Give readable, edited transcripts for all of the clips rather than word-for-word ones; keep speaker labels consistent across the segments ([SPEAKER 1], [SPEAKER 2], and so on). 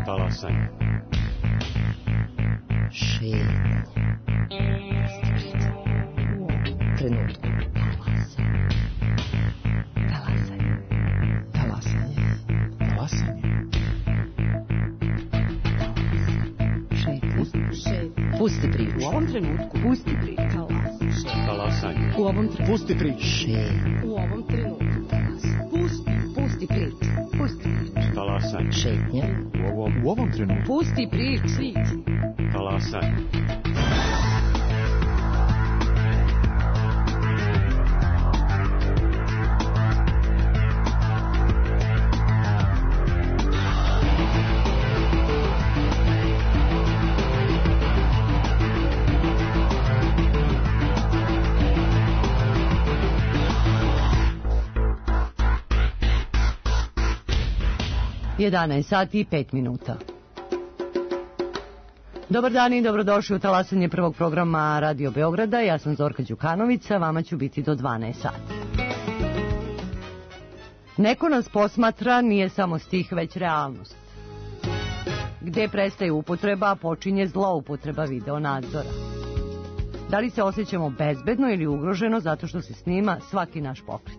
[SPEAKER 1] Talasanje.
[SPEAKER 2] Šetnja. U ovom trenutku. Talasanje. Talasanje. Talasanje. Šetnja. Pusti priču. U ovom trenutku. Pusti priču.
[SPEAKER 1] Talasanje.
[SPEAKER 2] U ovom trenutku.
[SPEAKER 1] Pusti priču.
[SPEAKER 2] Šetnja. U ovom trenutku. Pusti priču. Pusti priču.
[SPEAKER 1] Talasanje.
[SPEAKER 2] Šetnja.
[SPEAKER 1] U ovom trenutku.
[SPEAKER 2] Pusti priču.
[SPEAKER 1] Talasanje.
[SPEAKER 3] Sati i 5 minuta. Dobar dan i dobrodošli u talasanje prvog programa Radio Beograda. Ja sam Zorka Đukanovića, vama ću biti do 12 sati. Neko nas posmatra nije samo stih, već realnost. Gde prestaje upotreba, počinje zloupotreba video nadzora. Da li se osjećamo bezbedno ili ugroženo zato što se snima svaki naš pokret?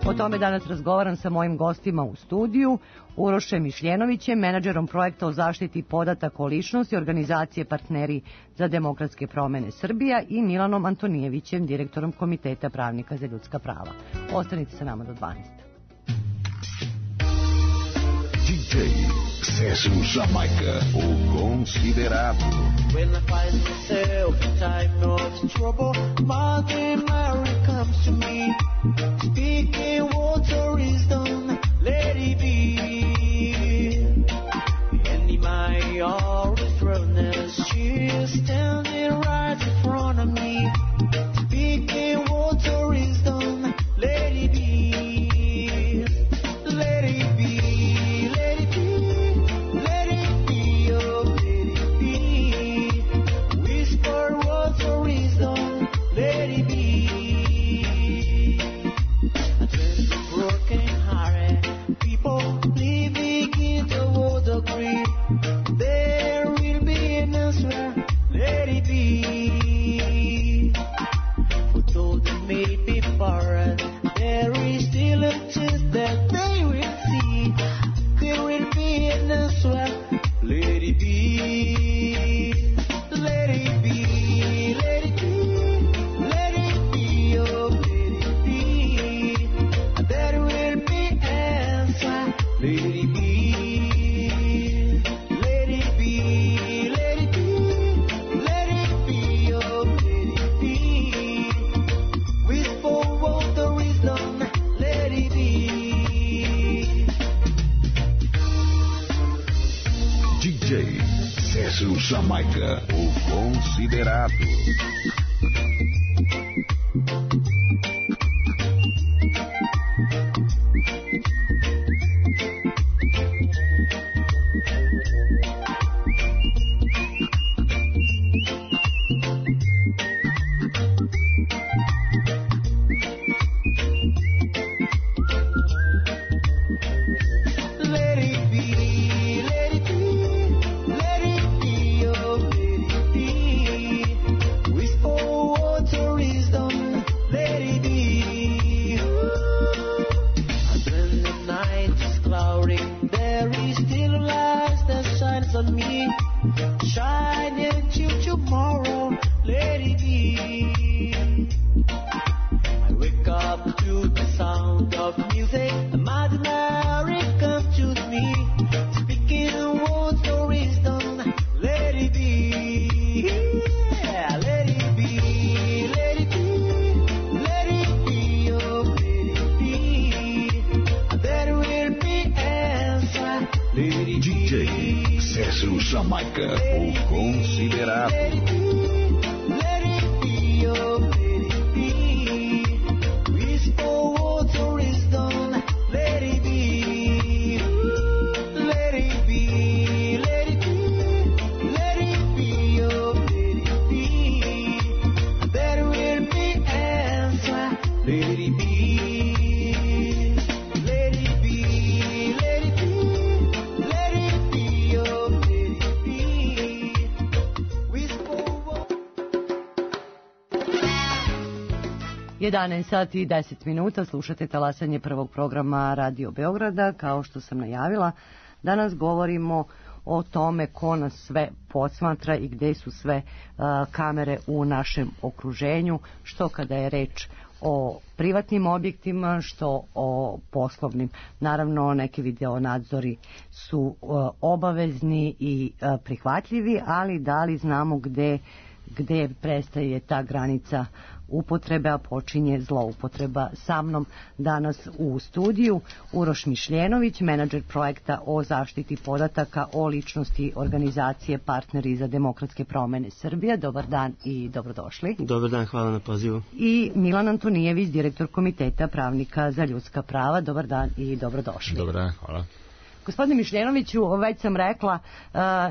[SPEAKER 3] O tome danas razgovaram sa mojim gostima u studiju, Urošem Mišljenovićem, menadžerom projekta o zaštiti podataka o ličnosti organizacije Partneri za demokratske promene Srbija i Milanom Antonijevićem, direktorom Komiteta pravnika za ljudska prava. Ostanite sa nama do 12.
[SPEAKER 4] DJ César Jamaica, o considerado.
[SPEAKER 5] When I find myself in time of trouble, Mother Mary comes to me, speaking water is done, let it be. And in my hour of throwness, she is standing right in front of me, speaking water is done, let it be. Let it be.
[SPEAKER 4] Jamaica, o considerado. Jamaica, o considerado.
[SPEAKER 3] 11 sati i 10 minuta, slušate talasanje prvog programa Radio Beograda. Kao što sam najavila, danas govorimo o tome ko nas sve posmatra i gde su sve kamere u našem okruženju, što kada je reč o privatnim objektima, što o poslovnim. Naravno, neki videonadzori su obavezni i prihvatljivi, ali da li znamo gde prestaje ta granica upotrebe, a počinje zloupotreba? Sa mnom danas u studiju Uroš Mišljenović, menadžer projekta o zaštiti podataka o ličnosti organizacije Partneri za demokratske promene Srbije. Dobar dan i dobrodošli.
[SPEAKER 6] Dobar dan, hvala na pozivu.
[SPEAKER 3] I Milan Antonijević, direktor Komiteta pravnika za ljudska prava. Dobar dan i dobrodošli.
[SPEAKER 7] Dobar dan, hvala.
[SPEAKER 3] Gospodine Mišljenoviću, već sam rekla,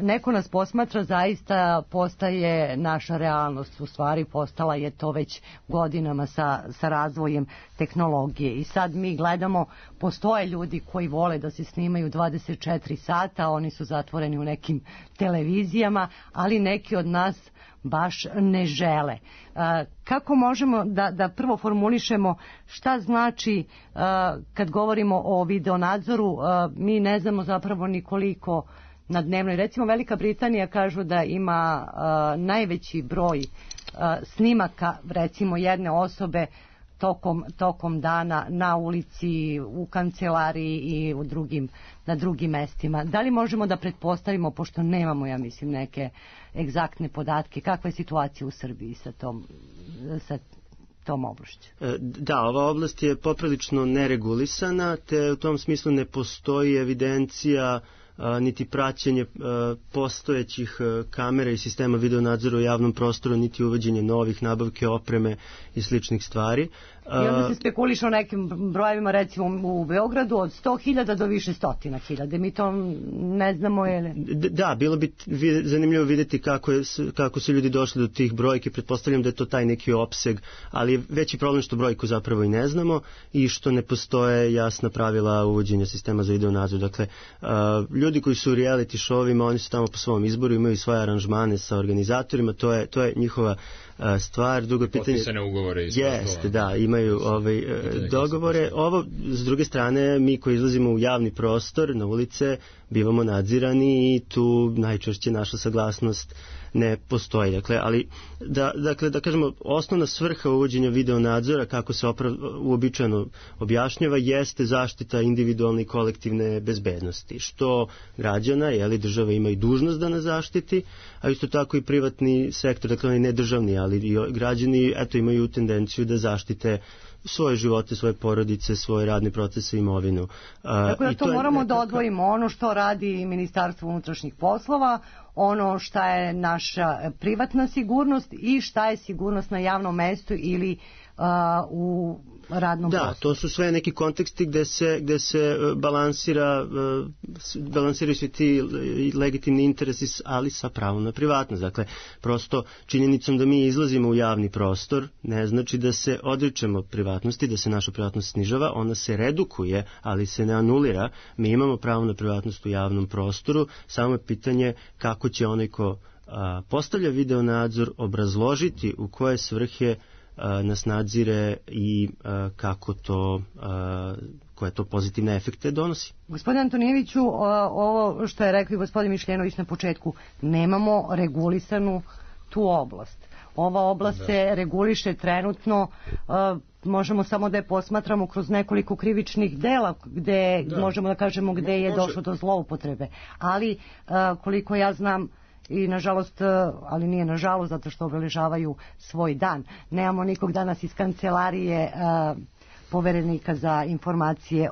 [SPEAKER 3] neko nas posmatra, zaista postaje naša realnost, u stvari postala je to već godinama sa razvojem tehnologije. I sad mi gledamo, postoje ljudi koji vole da se snimaju 24 sata, oni su zatvoreni u nekim televizijama, ali neki od nas baš ne žele. Kako možemo da prvo formulišemo šta znači kad govorimo o videonadzoru? Mi ne znamo zapravo ni koliko na dnevnoj. Recimo Velika Britanija kažu da ima najveći broj snimaka recimo jedne osobe tokom dana na ulici, u kancelariji i na drugim mestima. Da li možemo da pretpostavimo, pošto nemamo, ja mislim, neke egzaktne podatke, kakva je situacija u Srbiji sa tom oblašću?
[SPEAKER 6] Da, ova oblast je poprilično neregulisana, te u tom smislu ne postoji evidencija niti praćenje postojećih kamera i sistema videonadzora u javnom prostoru, niti uvođenje novih, nabavke opreme i sličnih stvari.
[SPEAKER 3] I onda se spekuliše o nekim brojevima, recimo u Beogradu, od 100.000 do više 100.000. Mi to ne znamo, je li?
[SPEAKER 6] Da, bilo bi zanimljivo vidjeti kako su ljudi došli do tih brojki. Pretpostavljam da je to taj neki opseg, ali je veći problem što brojku zapravo i ne znamo i što ne postoje jasna pravila uvođenja sistema za videonadzor. Dakle, ljudi koji su u reality showima, oni su tamo po svom izboru, imaju svoje aranžmane sa organizatorima, to je njihova stvar. Drugo pitanje,
[SPEAKER 7] potpisane ugovore.
[SPEAKER 6] Jeste, da, imaju dogovore. Ovo, s druge strane, mi koji izlazimo u javni prostor, na ulice, bivamo nadzirani i tu najčešće naša saglasnost ne postoji. Dakle, ali da kažemo, osnovna svrha uvođenja videonadzora, kako se uobičajeno objašnjava, jeste zaštita individualne i kolektivne bezbednosti, što građana, država ima i dužnost da nas zaštiti, a isto tako i privatni sektor, dakle oni nedržavni, ali i građani imaju tendenciju da zaštite svoje živote, svoje porodice, svoje radne procese i imovinu.
[SPEAKER 3] Tako da to moramo da odvojimo, ono što radi Ministarstvo unutrašnjih poslova, ono šta je naša privatna sigurnost i šta je sigurnost na javnom mestu ili u radnom prostoru.
[SPEAKER 6] Da, to su sve neki konteksti gde se balansiraju svi ti legitimni interesi, ali sa pravom na privatnost. Dakle, prosto činjenicom da mi izlazimo u javni prostor ne znači da se odričemo privatnosti, da se naša privatnost snižava, ona se redukuje, ali se ne anulira. Mi imamo pravo na privatnost u javnom prostoru, samo je pitanje kako će onaj ko postavlja videonadzor obrazložiti u koje svrhe nas nadzire i koje to pozitivne efekte donosi.
[SPEAKER 3] Gospodine Antonijeviću, ovo što je rekao i gospodin Mišljenović na početku, nemamo regulisanu tu oblast. Ova oblast se reguliše trenutno, možemo samo da je posmatramo kroz nekoliko krivičnih dela gde možemo da kažemo gde je došlo do zloupotrebe. Ali koliko ja znam, i nažalost, ali nije nažalost zato što obeležavaju svoj dan. Nemamo nikog danas iz kancelarije poverenika za informacije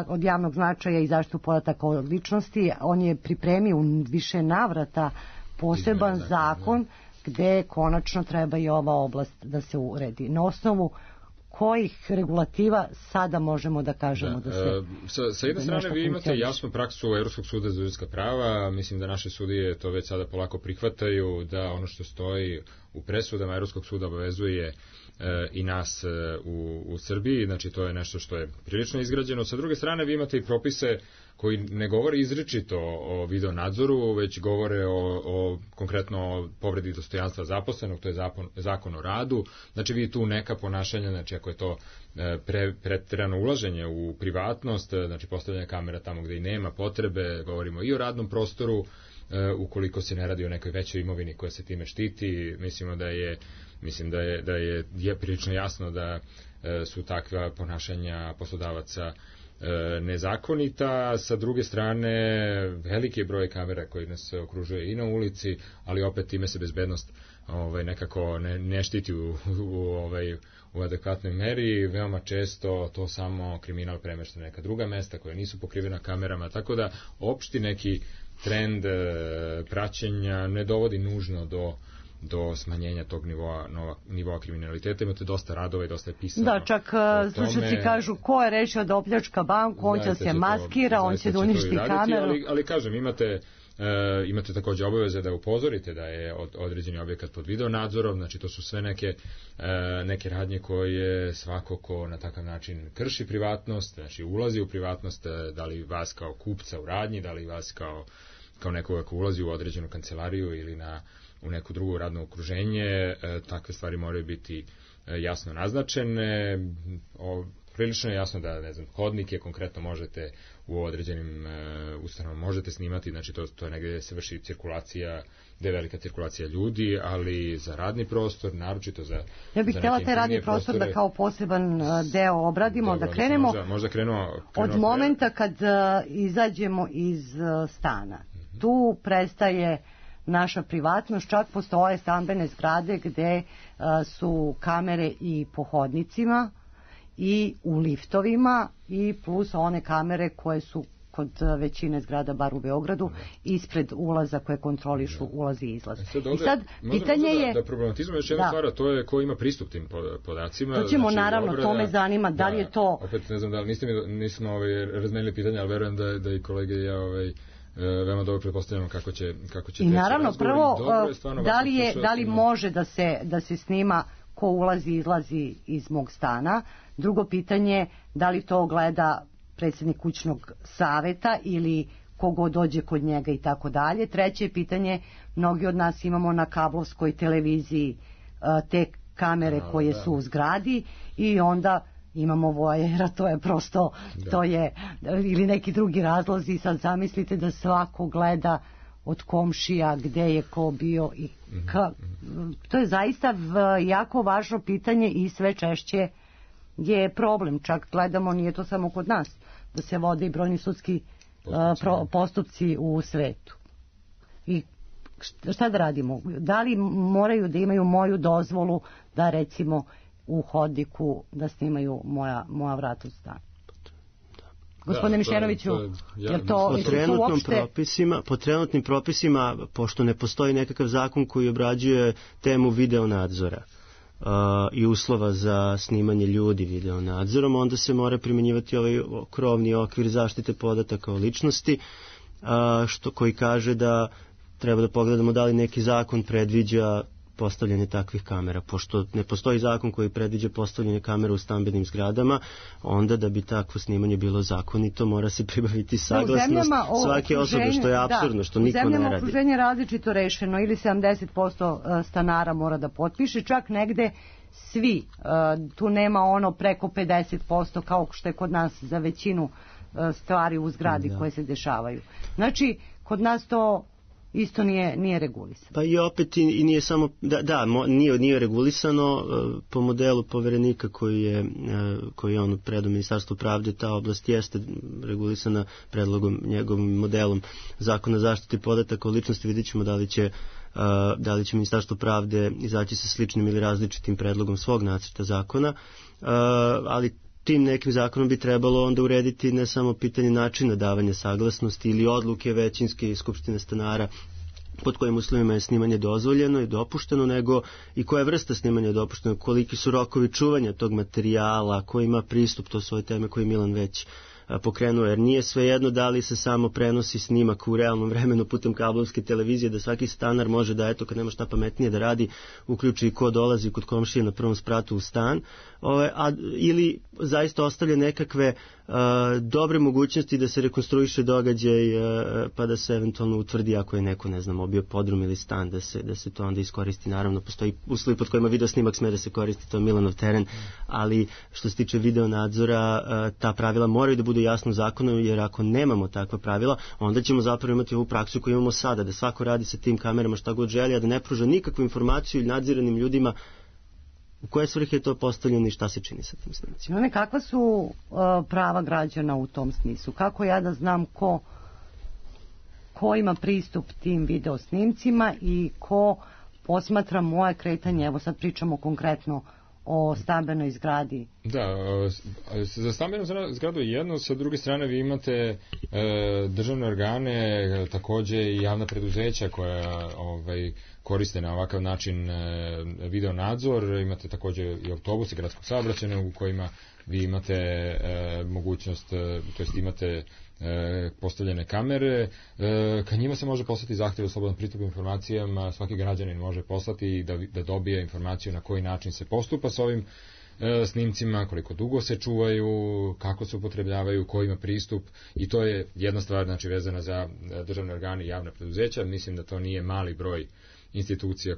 [SPEAKER 3] od javnog značaja i zaštitu podataka o ličnosti. On je pripremio u više navrata poseban zakon gde konačno treba i ova oblast da se uredi. Na osnovu kojih regulativa sada možemo da kažemo da se...
[SPEAKER 7] Sa jedne strane vi imate jasnu praksu Evropskog suda za ljudska prava, mislim da naše sudije to već sada polako prihvataju, da ono što stoji u presudama Evropskog suda obavezuje i nas u Srbiji, znači to je nešto što je prilično izgrađeno. Sa druge strane vi imate i propise koji ne govore izričito o video nadzoru, već govore o konkretno povredi dostojanstva zaposlenog, to je zakon o radu. Znači vi tu neka ponašanja, znači ako je to preterano ulaženje u privatnost, znači postavljanje kamera tamo gde i nema potrebe, govorimo i o radnom prostoru, ukoliko se ne radi o nekoj većoj imovini koja se time štiti, mislim da je prilično jasno da su takva ponašanja poslodavaca nezakonita. Sa druge strane, veliki je broj kamera koji nas okružuje i na ulici, ali opet time se bezbednost nekako ne štiti u adekvatnoj meri. Veoma često to samo kriminal premešta na neka druga mesta koja nisu pokrivena kamerama, tako da opšti neki trend praćenja ne dovodi nužno do smanjenja tog nivoa kriminaliteta. Imate dosta radova i dosta je pisano.
[SPEAKER 3] Da, čak slušalci kažu ko je rešio da opljačka banku, on će se maskira, on će da uništi kameru.
[SPEAKER 7] Ali kažem, imate takođe obaveze da upozorite da je određeni objekat pod video nadzorom, znači to su sve neke radnje koje svako ko na takav način krši privatnost, znači ulazi u privatnost, da li vas kao kupca u radnji, da li vas kao nekoga ko ulazi u određenu kancelariju ili u neko drugo radno okruženje, takve stvari moraju biti jasno naznačene. Prilično je jasno da, ne znam, hodnike konkretno možete u određenim ustanovama možete snimati, znači to je negdje gde se vrši cirkulacija, gde je velika cirkulacija ljudi, ali za radni prostor, naročito za
[SPEAKER 3] ja bih htjela taj radni prostor da kao poseban deo obradimo, da krenemo
[SPEAKER 7] možda
[SPEAKER 3] od momenta kad izađemo iz stana. Tu prestaje naša privatnost, čak postoje stambene zgrade gde su kamere i po hodnicima i u liftovima i plus one kamere koje su kod većine zgrada, bar u Beogradu, ispred ulaza koje kontrolišu ulaz i izlaz.
[SPEAKER 7] I sad pitanje je da problematizujemo još jedna stvar, to je ko ima pristup tim podacima.
[SPEAKER 3] To ćemo naravno, to me zanima, da li je to...
[SPEAKER 7] Opet ne znam da li nismo razmenili pitanje, ali verujem da i kolege i ja veoma dobro pretpostavljamo kako će
[SPEAKER 3] i naravno prvo da li može da se snima ko ulazi i izlazi iz mog stana. Drugo pitanje, da li to gleda predsjednik kućnog saveta ili kogo dođe kod njega i tako dalje. Treće pitanje, mnogi od nas imamo na kablovskoj televiziji te kamere koje su u zgradi i onda imamo vojera, to je prosto, to je, ili neki drugi razlozi, sad zamislite da svako gleda od komšija gde je ko bio i to je zaista jako važno pitanje i sve češće je problem, čak gledamo, nije to samo kod nas, da se vode i brojni sudski postupci u svetu. I šta da radimo? Da li moraju da imaju moju dozvolu da recimo u hodniku da snimaju moja vrata u stan? Gospodine Mišenoviću, je to
[SPEAKER 6] po trenutnim propisima, pošto ne postoji nekakav zakon koji obrađuje temu video nadzora i uslova za snimanje ljudi video nadzorom, onda se mora primjenjivati ovaj krovni okvir zaštite podataka o ličnosti, koji kaže da treba da pogledamo da li neki zakon predviđa postavljanje takvih kamera. Pošto ne postoji zakon koji predviđa postavljanje kamera u stambenim zgradama, onda da bi takvo snimanje bilo zakonito, mora se pribaviti saglasnost svake osobe, što je apsurdno, što niko ne radi. U
[SPEAKER 3] zemljama okruženje različito rešeno, ili 70% stanara mora da potpiše, čak negde svi, tu nema ono preko 50% kao što je kod nas za većinu stvari u zgradi koje se dešavaju. Znači, kod nas to isto nije regulisano.
[SPEAKER 6] Pa i opet i nije samo, nije regulisano po modelu poverenika koji je on predao Ministarstvu pravde, ta oblast jeste regulisana predlogom, njegovim modelom zakona zaštite podataka o ličnosti. Vidjet ćemo da li će Ministarstvo pravde izaći sa sličnim ili različitim predlogom svog nacrta zakona, ali tim nekim zakonom bi trebalo onda urediti ne samo pitanje načina davanja saglasnosti ili odluke većinske skupštine stanara pod kojim uslovima je snimanje dozvoljeno i dopušteno, nego i koja vrsta snimanja je dopušteno, koliki su rokovi čuvanja tog materijala, ko ima pristup, to su ove teme koje Milan pokrenuo, jer nije svejedno da li se samo prenosi snimak u realnom vremenu putem kablovske televizije, da svaki stanar može da, eto, kad nema šta pametnije da radi, uključi ko dolazi kod komšije na prvom spratu u stan, ili zaista ostavlja nekakve dobre mogućnosti da se rekonstruiše događaj, pa da se eventualno utvrdi ako je neko, ne znam, obio podrum ili stan, da se to onda iskoristi. Naravno, postoji uslovi pod kojima video snimak sme da se koristi, to je Milanov teren, ali što se tiče video nadzora, ta pravila moraju da budu jasno zakonom, jer ako nemamo takva pravila, onda ćemo zapravo imati ovu praksu koju imamo sada, da svako radi sa tim kamerama šta god želi, a da ne pruža nikakvu informaciju nadziranim ljudima u koje svrhe je to postavljeno i šta se čini sa tim snimcima.
[SPEAKER 3] Kakva su prava građana u tom smislu? Kako ja da znam ko ima pristup tim video snimcima i ko posmatra moje kretanje? Evo sad pričamo konkretno o stambenoj zgradi.
[SPEAKER 7] Da, za stambenu zgradu je jedno, sa druge strane vi imate državne organe, takođe i javna preduzeća koja koriste na ovakav način video nadzor, imate takođe i autobuse gradskog saobraćaja u kojima vi imate mogućnost, to jest imate postavljene kamere, ka njima se može poslati zahtjev za slobodan pristup informacijama, svaki građanin može poslati da dobije informaciju na koji način se postupa s ovim snimcima, koliko dugo se čuvaju, kako se upotrebljavaju, ko ima pristup, i to je jedna stvar, znači, vezana za državne organe i javna preduzeća. Mislim da to nije mali broj institucija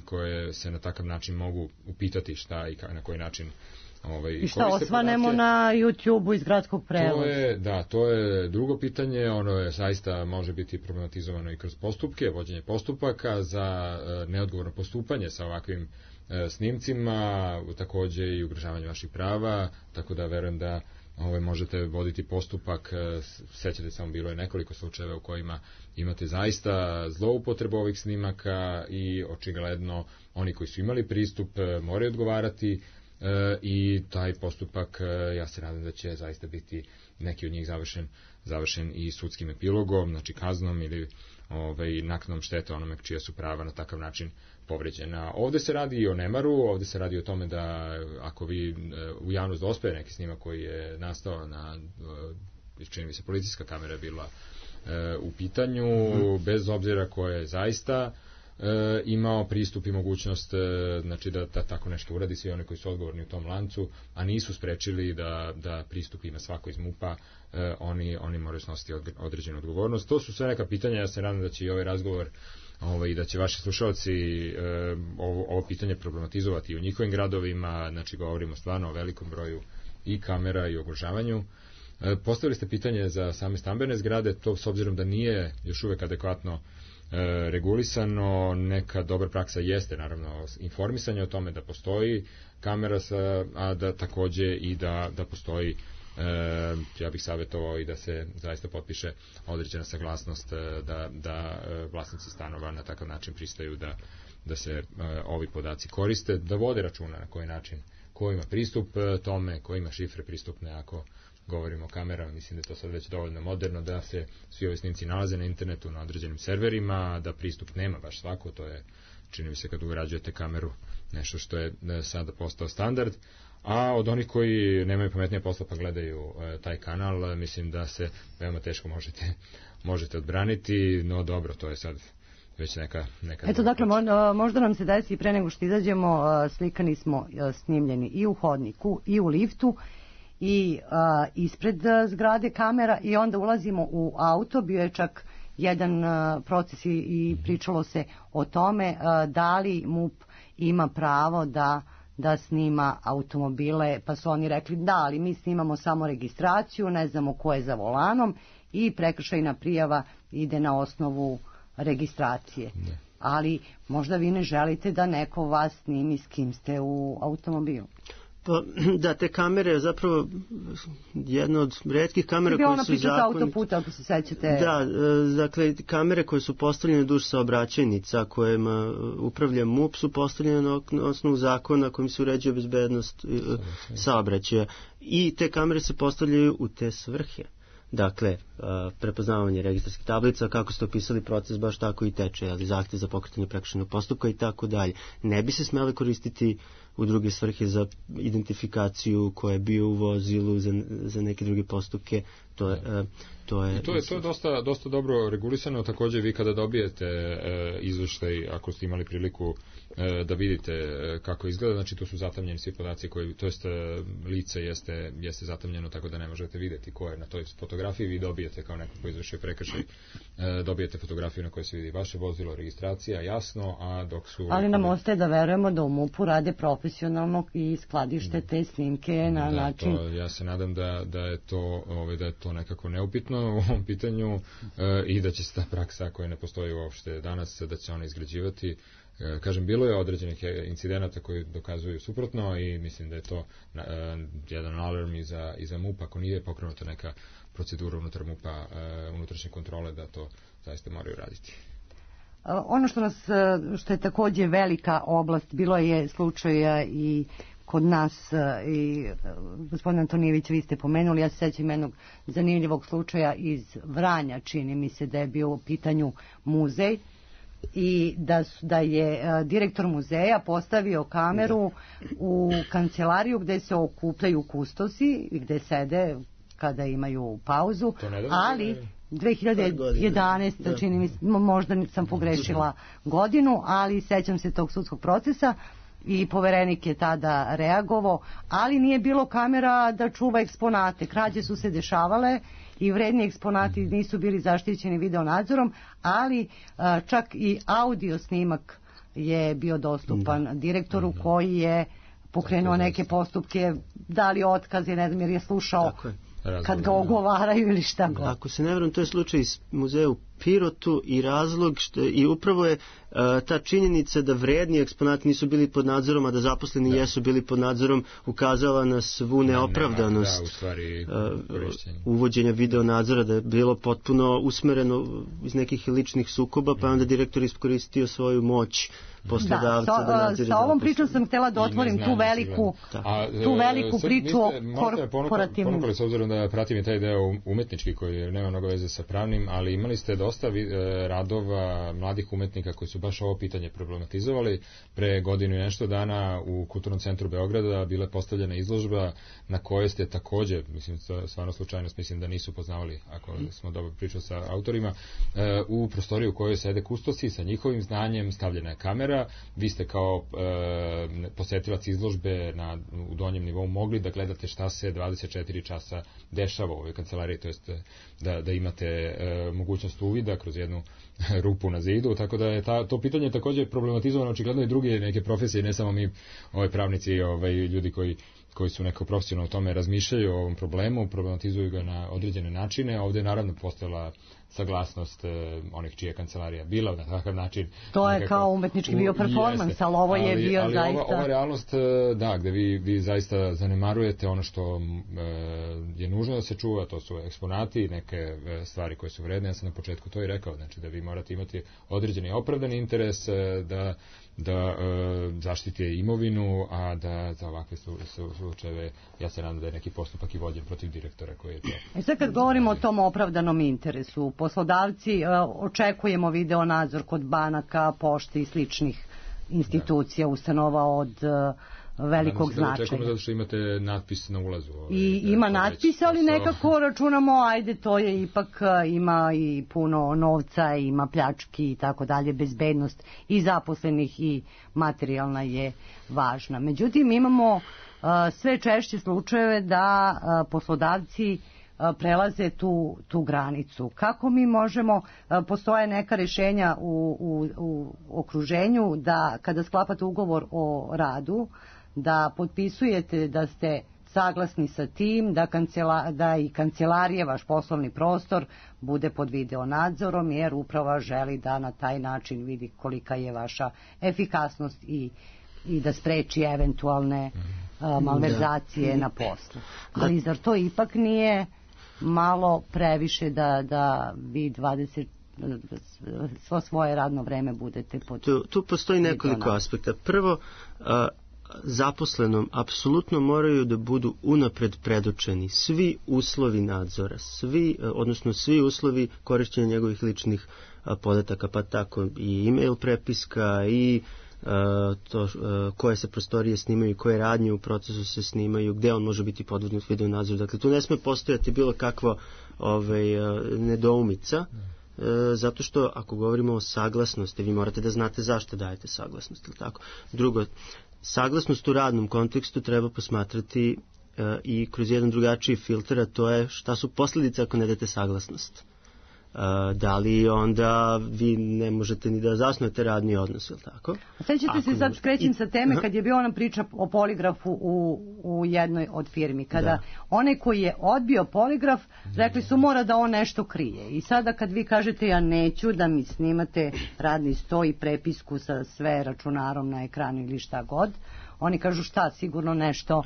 [SPEAKER 7] koje se na takav način mogu upitati šta i na koji način
[SPEAKER 3] i šta osvanemo na YouTube-u iz gradskog prevoza.
[SPEAKER 7] To je drugo pitanje, ono je zaista može biti problematizovano i kroz postupke, vođenje postupaka za neodgovorno postupanje sa ovakvim snimcima, takođe i ugrožavanje vaših prava, tako da verujem da možete voditi postupak. Sećate samo, bilo je nekoliko slučajeva u kojima imate zaista zloupotrebu ovih snimaka i očigledno oni koji su imali pristup moraju odgovarati, i taj postupak, ja se nadam da će zaista biti neki od njih završen i sudskim epilogom, znači kaznom ili naknadom štete onome čija su prava na takav način povređena. Ovde se radi i o nemaru, ovde se radi o tome da ako vi u javnost dospe neki snimak koji je nastao na, čini mi se, policijska kamera je bila u pitanju, bez obzira ko je zaista imao pristup i mogućnost, znači da tako nešto uradi, svi oni koji su odgovorni u tom lancu, a nisu sprečili da pristup ima svako iz MUP-a, oni moraju snositi određenu odgovornost. To su sve neka pitanja, ja se nadam da će i ovaj razgovor i da će vaši slušalci ovo pitanje problematizovati u njihovim gradovima, znači govorimo stvarno o velikom broju i kamera i oglašavanju. Postavili ste pitanje za same stambene zgrade, to s obzirom da nije još uvek adekvatno regulisano, neka dobra praksa jeste naravno informisanje o tome da postoji kamera, a da takođe i da postoji, ja bih savjetovao i da se zaista potpiše određena saglasnost da vlasnici stanova na takav način pristaju da se ovi podaci koriste, da vode računa na koji način, ko ima pristup tome, ko ima šifre pristupne. Ako govorimo o kamerama, mislim da je to sad već dovoljno moderno da se svi ovi snimci nalaze na internetu, na određenim serverima, da pristup nema baš svako, to je, čini mi se, kad ugrađujete kameru, nešto što je sada postao standard. A od onih koji nemaju pametnije posla pa gledaju taj kanal, mislim da se veoma teško možete odbraniti, no dobro, to je sad već neka...
[SPEAKER 3] Eto, dakle, možda nam se desi i pre nego što izađemo, slikani smo snimljeni i u hodniku, i u liftu, i ispred zgrade kamera, i onda ulazimo u auto. Bio je čak jedan proces i pričalo se o tome da li MUP ima pravo da snima automobile, pa su oni rekli da, ali mi snimamo samo registraciju, ne znamo ko je za volanom, i prekršajna prijava ide na osnovu registracije. Ne. Ali možda vi ne želite da neko vas snimi s kim ste u automobilu.
[SPEAKER 6] Pa, da, te kamere zapravo jedna od retkih kamera koje su
[SPEAKER 3] zakonite. Autoputa, ako se sećate.
[SPEAKER 6] Da, dakle, kamere koje su postavljene duž saobraćajnica kojima upravlja MUP su postavljene na osnovu zakona kojim se uređuje bezbednost saobraćaja. I te kamere se postavljaju u te svrhe. Dakle, prepoznavanje registarskih tablica, kako ste opisali proces, baš tako i teče, ali zahtev za pokretanje prekršajnog postupka i tako dalje. Ne bi se smele koristiti u druge svrhe za identifikaciju ko je bio u vozilu, za neke druge postupke. To je
[SPEAKER 7] dosta dobro regulisano. Takođe vi kada dobijete izveštaj, ako ste imali priliku da vidite kako izgleda, znači to su zatamljeni svi podaci koji, to jest lice jeste zatamljeno, tako da ne možete vidjeti ko je na toj fotografiji. Vi dobijete kao neko ko izvršio prekršaj, dobijete fotografiju na kojoj se vidi vaše vozilo, registracija, jasno, a dok su...
[SPEAKER 3] Ali nam ostaje da verujemo da u MUP-u rade profesionalno i skladište te snimke na način...
[SPEAKER 7] Ja se nadam da je to nekako neupitno u ovom pitanju i da će se ta praksa koja ne postoji uopšte danas, da će ona izgrađivati. Kažem, bilo je određenih incidenata koji dokazuju suprotno i mislim da je to jedan alarm i za MUP, ako nije pokrenuta neka procedura unutar MUP-a, unutrašnje kontrole, da to zaista moraju raditi.
[SPEAKER 3] Ono što je takođe velika oblast, bilo je slučaja i kod nas, i gospodin Antonijević, vi ste pomenuli, ja se sećam jednog zanimljivog slučaja iz Vranja, čini mi se da je bio u pitanju muzej, i da je direktor muzeja postavio kameru u kancelariju gde se okupljaju kustosi i gde sede kada imaju pauzu, ali 2011. čini mi se, možda sam pogrešila godinu, ali sećam se tog sudskog procesa i poverenik je tada reagovao, ali nije bilo kamera da čuva eksponate. Krađe su se dešavale i vredni eksponati nisu bili zaštićeni videonadzorom, ali čak i audio snimak je bio dostupan direktoru koji je pokrenuo neke postupke, dali otkaze, ne znam, jer je slušao kad ga ogovaraju ili šta god.
[SPEAKER 6] Ako se ne vjerujem, to je slučaj iz muzeja u Pirotu i razlog i upravo je ta činjenica da vredni eksponati nisu bili pod nadzorom, a da zaposleni jesu bili pod nadzorom, ukazala na svu neopravdanost uvođenja video nadzora, da je bilo potpuno usmereno iz nekih ličnih sukoba, pa onda direktor iskoristio svoju moć poslodavca da nadzire.
[SPEAKER 3] Sa ovom pričom sam htjela da otvorim tu veliku priču o korporativnim.
[SPEAKER 7] Ponukali, s obzirom da pratim i taj deo umetnički koji nema mnogo veze sa pravnim, ali imali ste dosta radova mladih umetnika koji su baš ovo pitanje problematizovali. Pre godinu i nešto dana u Kulturnom centru Beograda bila postavljena izložba na kojoj ste takođe, mislim, stvarno slučajnost, mislim da nisu poznavali, ako smo dobro pričali sa autorima, u prostoriju u kojoj sede kustosi sa njihovim znanjem, stavljena je kamera, vi ste kao posetilac izložbe u donjem nivou mogli da gledate šta se 24 časa dešava u ovoj kancelariji, to jest da imate mogućnost uvida kroz jednu rupu na zidu, tako da je to pitanje također problematizovano očigledno i druge neke profesije, ne samo mi pravnici, ljudi koji su neko profesionalno o tome razmišljaju o ovom problemu, problematizuju ga na određene načine. Ovdje je naravno postojala saglasnost onih čija kancelarija bila na takav način.
[SPEAKER 3] To je kao umetnički bio performans, ali ovo je bio
[SPEAKER 7] ali
[SPEAKER 3] zaista...
[SPEAKER 7] Ova realnost, da, gde vi zaista zanemarujete ono što je nužno da se čuva, to su eksponati, neke stvari koje su vredne. Ja sam na početku to i rekao, znači da vi morate imati određeni opravdani interes da zaštite imovinu, a da za ovakve slučajeve, ja se nadam da je neki postupak i vođen protiv direktora koji je to...
[SPEAKER 3] Sad kad govorimo o tom opravdanom interesu, poslodavci, očekujemo video nadzor kod banaka, pošte i sličnih institucija, ustanova od velikog značaja.
[SPEAKER 7] Očekujemo zato što imate natpis na ulazu.
[SPEAKER 3] I ima natpis, ali nekako računamo, ajde, to je ipak, ima i puno novca, ima pljački i tako dalje, bezbednost i zaposlenih i materijalna je važna. Međutim, imamo sve češće slučajeve da poslodavci prelaze tu granicu. Kako mi možemo, postoje neka rješenja u okruženju da kada sklapate ugovor o radu, da potpisujete da ste saglasni sa tim, da i kancelarije, vaš poslovni prostor, bude pod video nadzorom, jer uprava želi da na taj način vidi kolika je vaša efikasnost i da spreči eventualne malverzacije na poslu. Ali zar to ipak nije malo previše da vi 20 svoje radno vreme budete pod...
[SPEAKER 6] Tu postoji nekoliko aspekta. Prvo, zaposlenom apsolutno moraju da budu unapred predočeni svi uslovi nadzora, odnosno svi uslovi korišćenja njegovih ličnih podataka, pa tako i e-mail prepiska i koje se prostorije snimaju, koje radnje u procesu se snimaju, gde on može biti podvrgnut video nadzoru. Dakle, tu ne sme postojati bilo kakva nedoumica, zato što ako govorimo o saglasnosti, vi morate da znate zašto dajete saglasnost, ili tako. Drugo, saglasnost u radnom kontekstu treba posmatrati i kroz jedan drugačiji filter, a to je šta su posljedice ako ne date saglasnost. Da li onda vi ne možete ni da zasnujete radni odnos, ili tako?
[SPEAKER 3] Sećate se, sad skrećem sa teme, kad je bio ona priča o poligrafu u jednoj od firmi, kada onaj koji je odbio poligraf, rekli su mora da on nešto krije. I sada kad vi kažete ja neću da mi snimate radni sto i prepisku sa sve računarom na ekranu ili šta god, oni kažu šta, sigurno nešto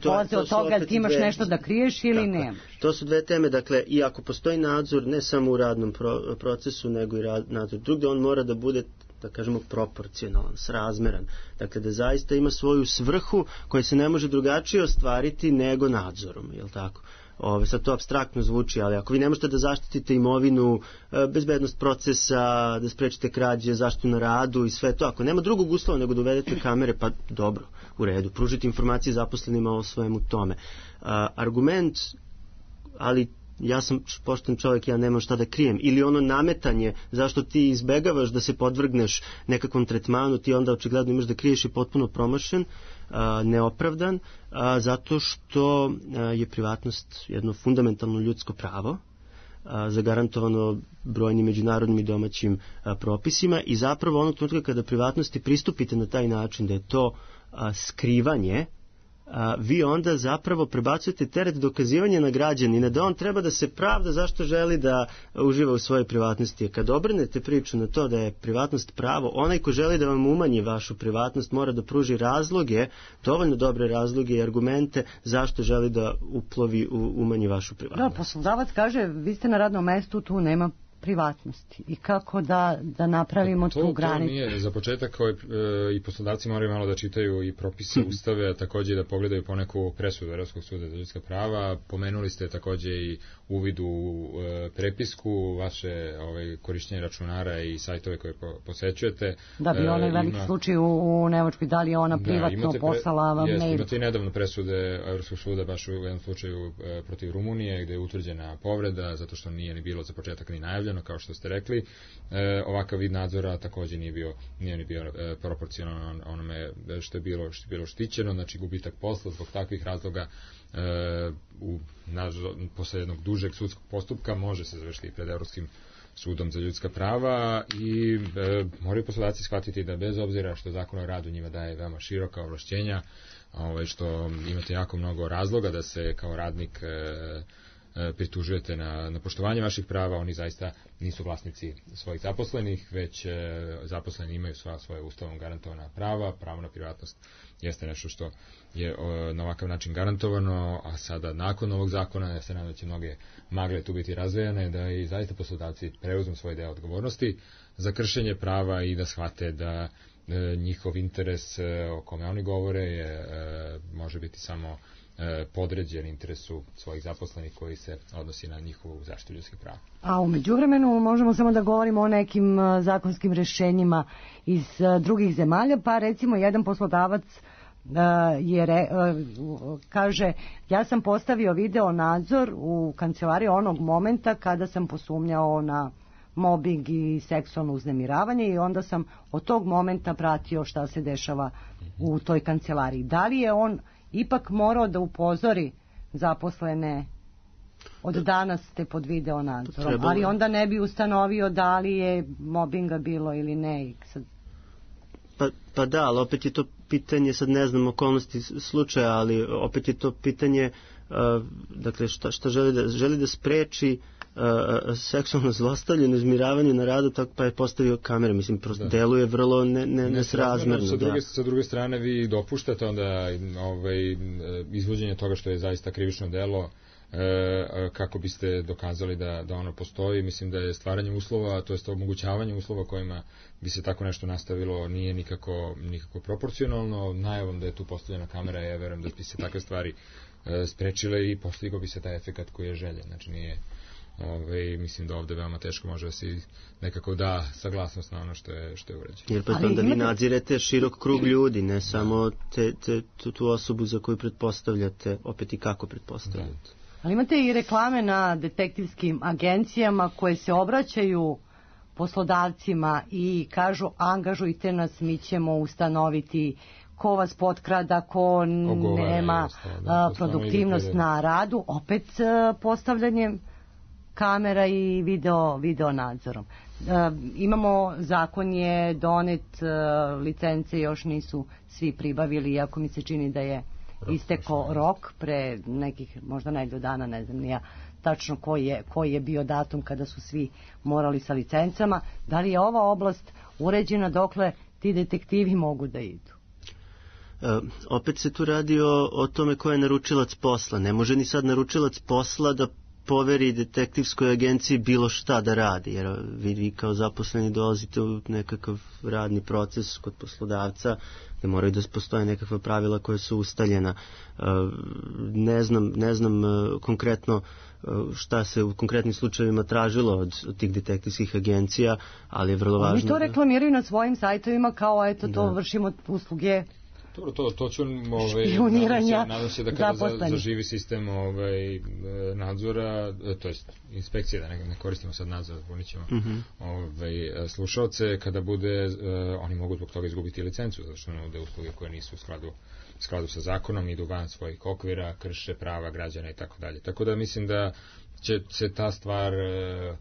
[SPEAKER 3] polaze od toga, ti imaš nešto da kriješ ili nemaš.
[SPEAKER 6] To su dve teme, dakle, i ako postoji nadzor ne samo u radnom procesu, nego i nadzor drugdje, on mora da bude, da kažemo, proporcionalan, srazmeran. Dakle, da zaista ima svoju svrhu koja se ne može drugačije ostvariti nego nadzorom, je li tako? Sad to apstraktno zvuči, ali ako vi ne možete da zaštitite imovinu, bezbednost procesa, da sprečite krađe, zaštitu na radu i sve to, ako nema drugog uslova nego da uvedete kamere, pa dobro, u redu, pružite informacije zaposlenima o svemu tome. Argument, ali ja sam pošten čovjek, ja nemam šta da krijem, ili ono nametanje zašto ti izbegavaš da se podvrgneš nekakvom tretmanu, ti onda očigledno imaš da kriješ i potpuno promašen, neopravdan, zato što je privatnost jedno fundamentalno ljudsko pravo, zagarantovano brojnim međunarodnim i domaćim propisima, i zapravo onog trenutka kada privatnosti pristupite na taj način da je to skrivanje, vi onda zapravo prebacujete teret dokazivanja na građanina, da on treba da se pravda zašto želi da uživa u svojoj privatnosti. Kad obrnete priču na to da je privatnost pravo, onaj ko želi da vam umanji vašu privatnost mora da pruži razloge, dovoljno dobre razloge i argumente zašto želi da uplovi, umanji vašu privatnost.
[SPEAKER 3] Da, poslodavac kaže, vi ste na radnom mestu, tu nema privatnosti. I kako da napravimo tu granicu?
[SPEAKER 7] To nije, za početak i poslodavci moraju malo da čitaju i propise, ustave, a također da pogledaju poneku presudu Evropskog suda za ljudska prava. Pomenuli ste također i uvid u prepisku, vaše korišćenje računara i sajtove koje posećujete.
[SPEAKER 3] Da bi onaj veliki slučaj u Nemačkoj, da li je ona privatno poslala vam mail?
[SPEAKER 7] Imate i nedavno presude Evropskog suda baš u jednom slučaju protiv Rumunije, gde je utvrđena povreda, zato što nije ni bilo za početak ni najavljeno, kao što ste rekli. Ovakav vid nadzora također nije ni bio proporcionalan onome što je bilo štićeno, znači gubitak posla zbog takvih razloga posle jednog dužeg sudskog postupka može se završiti pred Evropskim sudom za ljudska prava i moraju poslodavci shvatiti da bez obzira što Zakon o radu njima daje veoma široka ovlašćenja, što imate jako mnogo razloga da se kao radnik pritužujete na poštovanje vaših prava, oni zaista nisu vlasnici svojih zaposlenih, već zaposleni imaju svoje ustavom garantovana prava, pravo na privatnost jeste nešto što je na ovakav način garantovano, a sada nakon ovog zakona, ja se nadam da će mnoge magle tu biti razvejane, da i zaista poslodavci preuzmu svoj deo odgovornosti za kršenje prava i da shvate da njihov interes o kome oni govore može biti samo podređen interesu svojih zaposlenih koji se odnosi na njihovu zaštitu ljudskih prava.
[SPEAKER 3] A u međuvremenu možemo samo da govorimo o nekim zakonskim rješenjima iz drugih zemalja, pa recimo jedan poslodavac kaže, ja sam postavio video nadzor u kancelariji onog momenta kada sam posumnjao na mobbing i seksualno uznemiravanje i onda sam od tog momenta pratio šta se dešava u toj kancelariji. Da li je on ipak morao da upozori zaposlene od danas ste pod video nadzorom, ali onda ne bi ustanovio da li je mobinga bilo ili ne.
[SPEAKER 6] Pa da, ali opet je to pitanje, sad ne znam okolnosti slučaja, ali opet je to pitanje dakle šta želi da spreči seksualno zlostavljanje, uzmiravanje na radu, tako pa je postavio kamere, mislim, prosto deluje vrlo nesrazmerno.
[SPEAKER 7] Sa druge strane vi dopuštate onda izvođenje toga što je zaista krivično delo, kako biste dokazali da ono postoji. Mislim da je stvaranje uslova, to jest omogućavanje uslova kojima bi se tako nešto nastavilo nije nikako proporcionalno. Najavom da je tu postavljena kamera, ja verujem da bi se takve stvari sprečile i postigao bi se taj efekat koji je željen. Znači Mislim da ovde veoma teško može da se nekako da saglasnost na ono što je urađeno.
[SPEAKER 6] Jer pa onda vi nadzirete širok krug ljudi, ne samo tu osobu za koju pretpostavljate, opet i kako pretpostavljate.
[SPEAKER 3] Ali imate i reklame na detektivskim agencijama koje se obraćaju poslodavcima i kažu angažujte nas, mi ćemo ustanoviti ko vas potkrada, ko nema produktivnost na radu, opet postavljanjem kamera i video nadzorom. Imamo, zakon je donet, licence još nisu svi pribavili, iako mi se čini da je istekao rok pre nekih možda nedelju dana, ne znam nija tačno koji je bio datum kada su svi morali sa licencama. Da li je ova oblast uređena dokle ti detektivi mogu da idu?
[SPEAKER 6] Opet se tu radi o tome ko je naručilac posla. Ne može ni sad naručilac posla da poveri detektivskoj agenciji bilo šta da radi, jer vi kao zaposleni dolazite u nekakav radni proces kod poslodavca gde moraju da postoje nekakva pravila koja su ustaljena. Ne znam konkretno šta se u konkretnim slučajevima tražilo od tih detektivskih agencija, ali je vrlo važno.
[SPEAKER 3] Oni to reklamiraju na svojim sajtovima kao eto to vršimo usluge.
[SPEAKER 7] Dobro, to ću nadam se da kada zaživi sistem nadzora, to jest inspekcije, da ne koristimo sad nadzor, ponićemo slušalce, kada bude, oni mogu zbog toga izgubiti licencu, zato što nude usluge koje nisu u skladu sa zakonom, idu van svojih okvira, krše prava građana i tako dalje. Tako da mislim da će se ta stvar,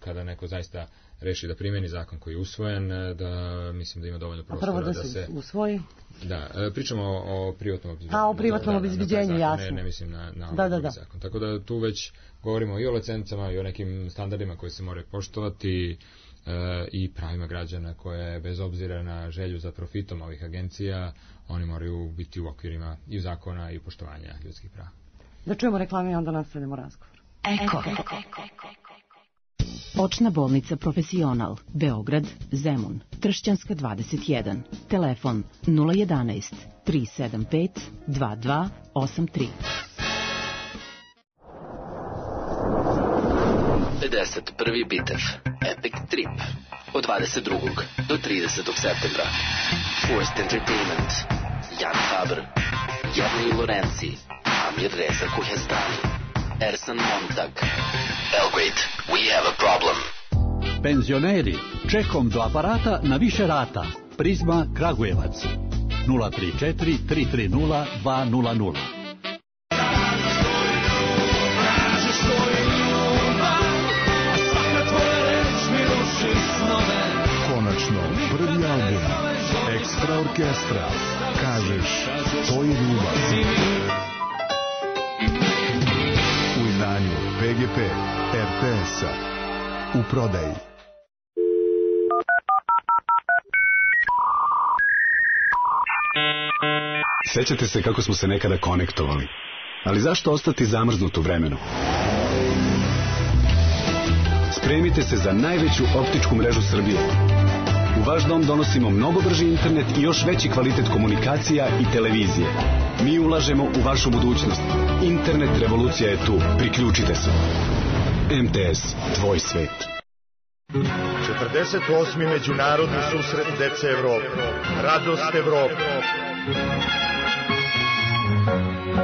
[SPEAKER 7] kada neko zaista reši da primjeni zakon koji je usvojen, da mislim da ima dovoljno prostora
[SPEAKER 3] da se usvoji.
[SPEAKER 7] Da, pričamo o privatnom obezbeđenju.
[SPEAKER 3] O privatnom obezbeđenju, jasno.
[SPEAKER 7] Ne mislim na ovaj zakon. Tako da tu već govorimo i o licencama i o nekim standardima koji se moraju poštovati i pravima građana koje bez obzira na želju za profitom ovih agencija, oni moraju biti u okvirima i zakona i poštovanja ljudskih prava.
[SPEAKER 3] Da čujemo reklame i onda nastavljamo razgovor.
[SPEAKER 8] Eko. Očna bolnica Profesional, Beograd, Zemun, Tršćanska 21, telefon 011 375 2283.
[SPEAKER 9] 51. bitev, Epic Trip, od 22. do 30. septembra. Forced Entertainment, Jan Haber, Jarni Lorenzi, Amir Reza Kuhestani, Ersan Montag. Belgrade, we have a problem.
[SPEAKER 10] Penzioneri, čekom do aparata na više rata. Prizma Kragujevac, 034 330 200.
[SPEAKER 11] Konačno, prvi album Ekstra orkestra. Kažeš, to je ljubav. U izdanju PGP RTS-a. U prodaji.
[SPEAKER 12] Sećate se kako smo se nekada konektovali, ali zašto ostati zamrznut u vremenu? Spremite se za najveću optičku mrežu Srbije. U vaš dom donosimo mnogo brži internet i još veći kvalitet komunikacija i televizije. Mi ulažemo u vašu budućnost. Internet revolucija je tu. Priključite se. MTS, tvoj svet.
[SPEAKER 13] 48. međunarodni susret dece Evrope. Radost Evrope.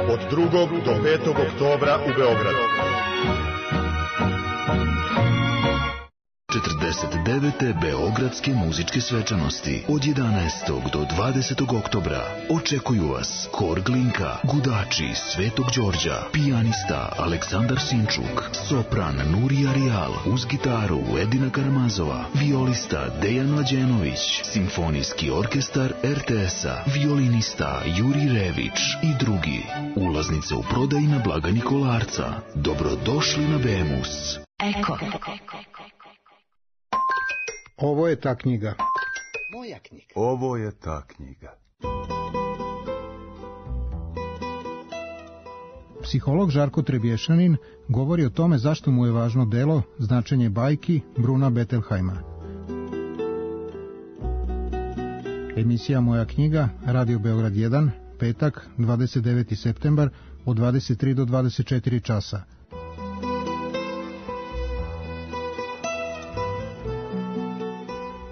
[SPEAKER 13] Od 2. do 5. oktobra u Beogradu.
[SPEAKER 14] 49. Beogradske muzičke svečanosti od 11. do 20. oktobra očekuju vas Hor Glinka, Gudači Svetog Đorđa, pijanista Aleksandar Sinčuk, sopran Nurija Rijal, uz gitaru Edina Karamazova, violista Dejan Mlađenović, simfonijski orkestar RTS-a, violinista Juri Rević i drugi. Ulaznice u prodaji na blagajni Kolarca. Dobrodošli na Bemus.
[SPEAKER 8] Eko.
[SPEAKER 15] Ovo je ta knjiga.
[SPEAKER 16] Moja knjiga.
[SPEAKER 11] Ovo je ta knjiga.
[SPEAKER 15] Psiholog Žarko Trebješanin govori o tome zašto mu je važno delo Značenje bajki Bruna Bettelheima. Emisija Moja knjiga, Radio Beograd 1, petak, 29. septembar, od 23 do 24 časa.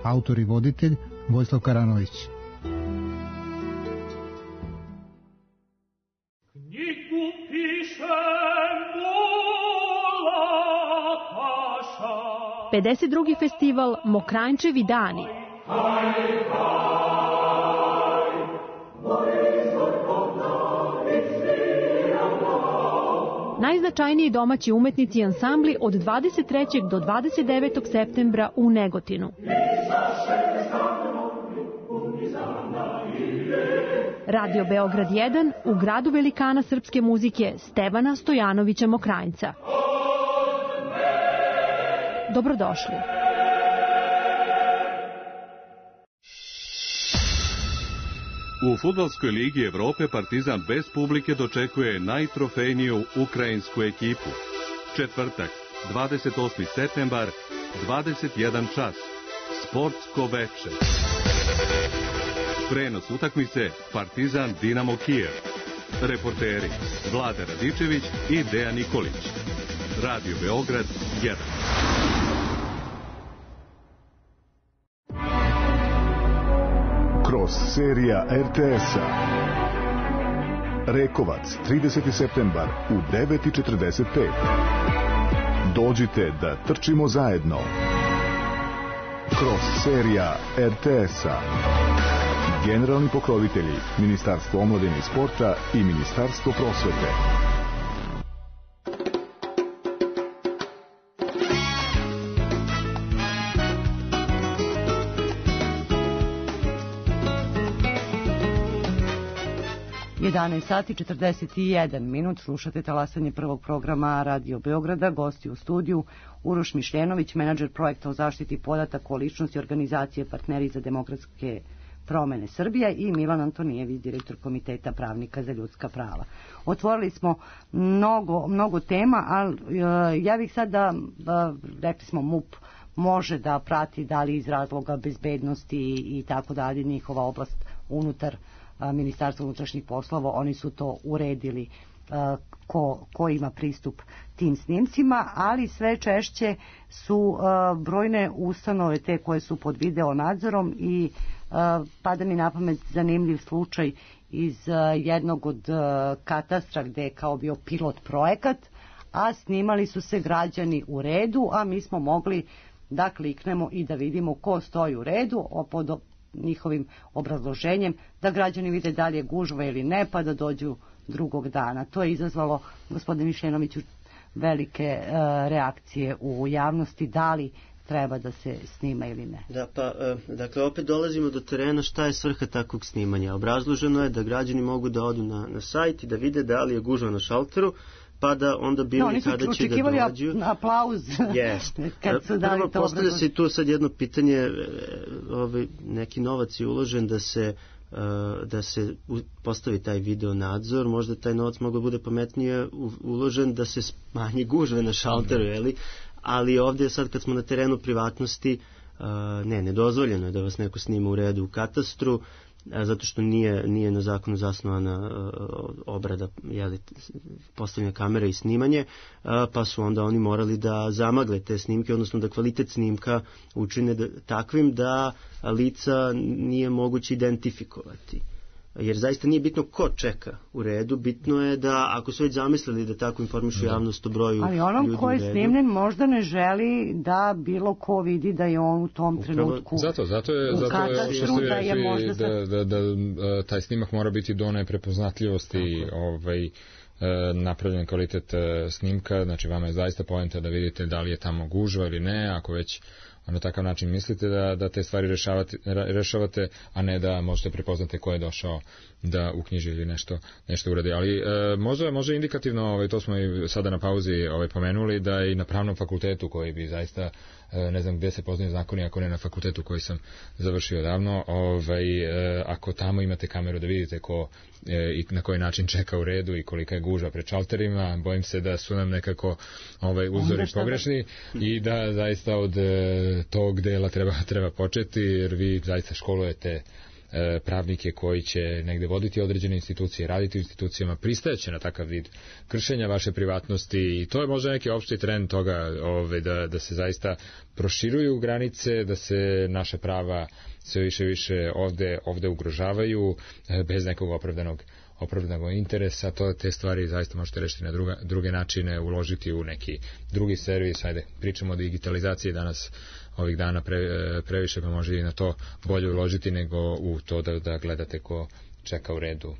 [SPEAKER 15] Autor i voditelj Vojislav Karanović.
[SPEAKER 5] Knjigu piše
[SPEAKER 16] 52. festival Mokranjčevi dani. Najznačajniji domaći umetnici i ansambli od 23. do 29. septembra u Negotinu. Radio Beograd 1 u gradu velikana srpske muzike Stevana Stojanovića Mokranjca. Dobrodošli.
[SPEAKER 17] U Fudbalskoj ligi Evrope Partizan bez publike dočekuje najtrofejniju ukrajinsku ekipu. Četvrtak, 28. septembar, 21 čas. Sportsko veče. Prenos utakmice Partizan Dinamo Kijev. Reporteri Vlada Radičević i Dejan Nikolić. Radio Beograd 1.
[SPEAKER 11] Kroz serija RTS-a. Rekovac, 30. septembar u 9:45. Dođite da trčimo zajedno. Kroz serija RTS-a. Generalni pokrovitelji Ministarstvo omladine i sporta i Ministarstvo prosvete.
[SPEAKER 3] Sati 41 minut, slušate talasanje prvog programa Radio Beograda. Gosti u studiju Uroš Mišljenović, menadžer projekta o zaštiti podataka o ličnosti organizacije Partneri za demokratske promene Srbija, i Milan Antonijević, direktor Komiteta pravnika za ljudska prava. Otvorili smo mnogo tema, ali ja bih sad rekli smo MUP može da prati da li iz razloga bezbednosti i tako dalje, njihova oblast unutar Ministarstva unutrašnjih poslova, oni su to uredili ko ima pristup tim snimcima, ali sve češće su brojne ustanove te koje su pod video nadzorom i pada mi na pamet zanimljiv slučaj iz jednog od katastra gde je kao bio pilot projekat, a snimali su se građani u redu, a mi smo mogli da kliknemo i da vidimo ko stoji u redu pod njihovim obrazloženjem, da građani vide da li je gužva ili ne, pa da dođu drugog dana. To je izazvalo, gospodine Mišljenoviću, velike reakcije u javnosti, da li treba da se snima ili ne.
[SPEAKER 6] Da, pa, dakle, opet dolazimo do terena šta je svrha takvog snimanja. Obrazloženo je da građani mogu da odu na sajt i da vide da li je gužva na šalteru, pa da onda bili kada će da dođu. Oni su očekivali
[SPEAKER 3] aplauz kad su dali to.
[SPEAKER 6] Postavlja se tu sad jedno pitanje, neki novac je uložen da se postavi taj video nadzor, možda taj novac mogu bude pametnije uložen da se smanji gužve na šalteru, ali ovdje sad kad smo na terenu privatnosti, nedozvoljeno je da vas neko snima u redu u katastru, zato što nije na zakonu zasnovana obrada, postavljanja kamere i snimanje, pa su onda oni morali da zamagle te snimke, odnosno da kvalitet snimka učine takvim da lica nije moguće identifikovati. Jer zaista nije bitno ko čeka u redu, bitno je da ako su već zamislili da tako informišu javnost o broju ljudi u redu. Ali onom ko je snimljen možda ne želi da bilo ko vidi da je on u tom trenutku
[SPEAKER 7] zato je što ste rekli da taj snimak mora biti do one prepoznatljivosti napravljen kvalitet snimka, znači vama je zaista poenta da vidite da li je tamo gužva ili ne, ako već na takav način mislite da te stvari rešavate, a ne da možete prepoznate ko je došao da uknjiži ili nešto uradi. Ali možda indikativno, to smo i sada na pauzi pomenuli, da i na pravnom fakultetu koji bi zaista, ne znam gde se poznaju zakoni ako ne na fakultetu koji sam završio davno, ako tamo imate kameru da vidite ko i na koji način čeka u redu i kolika je gužva pred šalterima, bojim se da su nam nekako uzori pogrešni i da zaista od tog dela treba početi, jer vi zaista školujete pravnike koji će negde voditi određene institucije, raditi u institucijama, pristajeće na takav vid kršenja vaše privatnosti i to je možda neki opšti trend toga da se zaista proširuju granice, da se naša prava sve više ovde ugrožavaju bez nekog opravdanog interesa. Te stvari zaista možete rešiti na druge načine, uložiti u neki drugi servis. Ajde, pričamo o digitalizaciji danas ovih dana previše, pa može i na to bolje uložiti nego u to da gledate ko čeka u redu.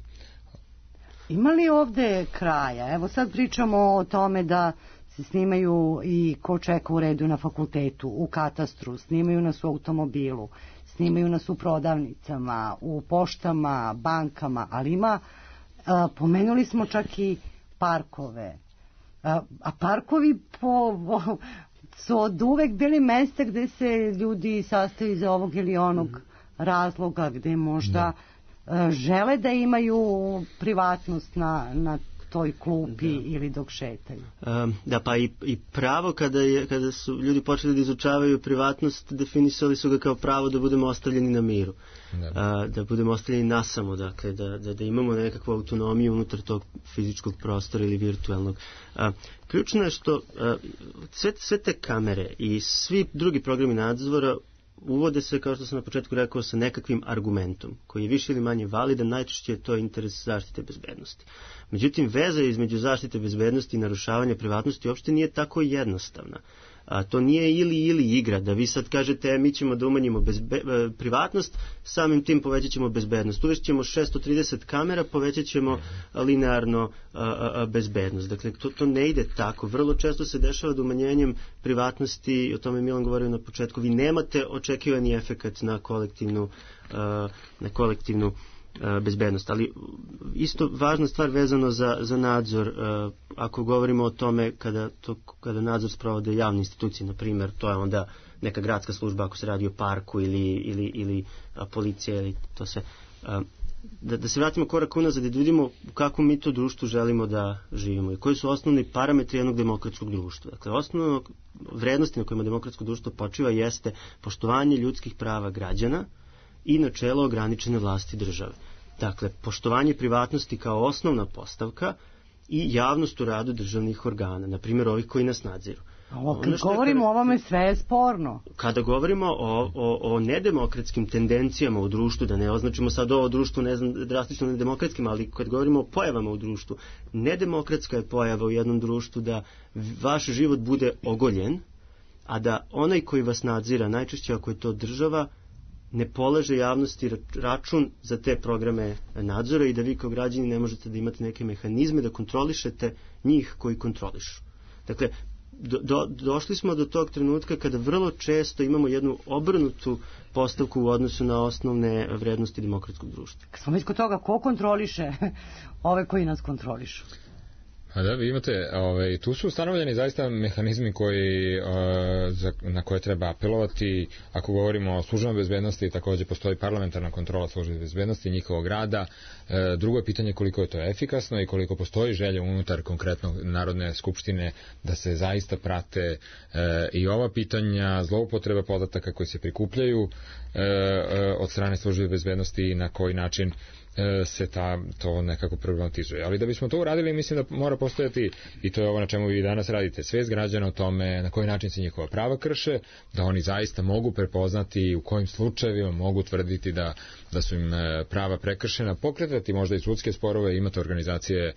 [SPEAKER 3] Ima li ovde kraja? Evo sad pričamo o tome da se snimaju i ko čeka u redu na fakultetu, u katastru, snimaju nas u automobilu, snimaju nas u prodavnicama, u poštama, bankama, ali ima, pomenuli smo čak i parkove. A parkovi su od uvek bili mesta gde se ljudi sastaju za ovog ili onog razloga, gde možda žele da imaju privatnost na toj klupi ili dok šetaju.
[SPEAKER 6] Da, pa i pravo kada su ljudi počeli da izučavaju privatnost, definisali su ga kao pravo da budemo ostavljeni na miru. Da budemo ostavljeni nasamo, dakle, da imamo nekakvu autonomiju unutar tog fizičkog prostora ili virtualnog. Ključno je što sve te kamere i svi drugi programi nadzora uvode se, kao što sam na početku rekao, sa nekakvim argumentom, koji je više ili manje validan, najčešće je to interes zaštite bezbednosti. Međutim, veza između zaštite bezbednosti i narušavanja privatnosti uopšte nije tako jednostavna. To nije ili igra, da vi sad kažete mi ćemo da umanjimo privatnost, samim tim povećat ćemo bezbednost. Uvešćemo 630 kamera, povećat ćemo linearno bezbednost. Dakle, to ne ide tako. Vrlo često se dešava da umanjenjem privatnosti, o tome Milan govorio na početku, vi nemate očekivani efekat na kolektivnu bezbednost. Ali isto važna stvar vezano za nadzor, ako govorimo o tome kada nadzor sprovode javne institucije, na primjer, to je onda neka gradska služba ako se radi o parku ili policija ili to sve. Da se vratimo korak unazad i da vidimo u kakvom mi to društvu želimo da živimo i koji su osnovni parametri jednog demokratskog društva. Dakle, osnovno vrednosti na kojima demokratsko društvo počiva jeste poštovanje ljudskih prava građana i načelo ograničene vlasti države. Dakle, poštovanje privatnosti kao osnovna postavka i javnost u radu državnih organa, na primjer ovih koji nas nadziru.
[SPEAKER 3] Kad govorimo o ovome, sve je sporno.
[SPEAKER 6] Kada govorimo o nedemokratskim tendencijama u društvu, da ne označimo sad ovo društvo, ne znam, drastično nedemokratskim, ali kad govorimo o pojavama u društvu, nedemokratska je pojava u jednom društvu da vaš život bude ogoljen, a da onaj koji vas nadzira, najčešće ako je to država, ne polaže javnosti račun za te programe nadzora i da vi kao građani ne možete da imate neke mehanizme da kontrolišete njih koji kontrolišu. Dakle, došli smo do tog trenutka kada vrlo često imamo jednu obrnutu postavku u odnosu na osnovne vrednosti demokratskog društva.
[SPEAKER 3] Kad smo već kod toga, ko kontroliše ove koji nas kontrolišu?
[SPEAKER 7] A da, vi imate, tu su ustanovljeni zaista mehanizmi na koje treba apelovati. Ako govorimo o službama bezbednosti, također postoji parlamentarna kontrola službe bezbednosti i njihovog rada. Drugo je pitanje koliko je to efikasno i koliko postoji želja unutar konkretno Narodne skupštine da se zaista prate i ova pitanja zloupotreba podataka koji se prikupljaju od strane službe bezbednosti i na koji način se to nekako problematizuje. Ali da bismo to uradili, mislim da mora postojati, i to je ovo na čemu vi danas radite, svest građana o tome na koji način se njihova prava krše, da oni zaista mogu prepoznati u kojim slučajevima mogu tvrditi da su im prava prekršena, pokretati možda i sudske sporove, imate organizacije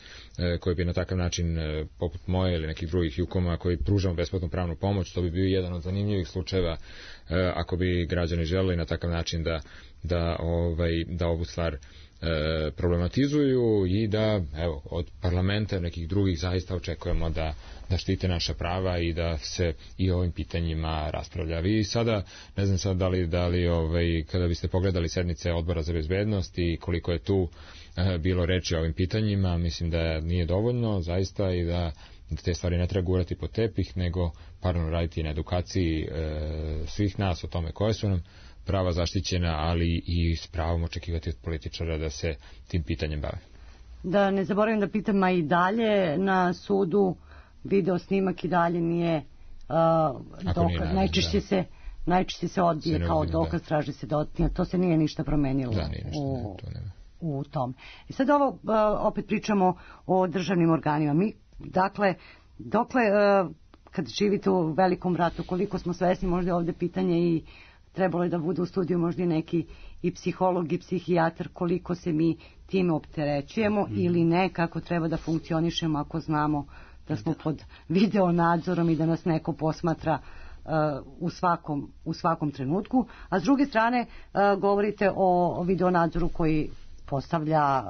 [SPEAKER 7] koje bi na takav način, poput moje ili nekih drugih Jukoma, koji pružamo besplatnu pravnu pomoć, to bi bio jedan od zanimljivih slučajeva ako bi građani želeli na takav način da ovu stvar problematizuju i da, evo, od parlamenta i nekih drugih zaista očekujemo da štite naša prava i da se i o ovim pitanjima raspravlja. Vi sada, ne znam sad da li kada biste pogledali sednice Odbora za bezbednost i koliko je tu bilo reči o ovim pitanjima, mislim da nije dovoljno zaista i da te stvari ne treba gurati po tepih, nego paralelno raditi na edukaciji svih nas o tome koje su nam prava zaštićena, ali i s pravom očekivati od političara da se tim pitanjem bave.
[SPEAKER 3] Da ne zaboravim da pitam, a i dalje na sudu video snimak i dalje nije dokaz. Najčešće se najčešće se odbije kao dokaz, traži se to se nije ništa promenilo u tom. I sad ovo, opet pričamo o državnim organima. Mi, dakle, dokle, kad živite u velikom ratu, koliko smo svesni, možda je ovde pitanje i trebalo je da bude u studiju možda i neki i psiholog i psihijatar, koliko se mi time opterećujemo ili ne, kako treba da funkcionišemo ako znamo da smo pod video nadzorom i da nas neko posmatra u svakom trenutku. A s druge strane govorite o video nadzoru koji postavlja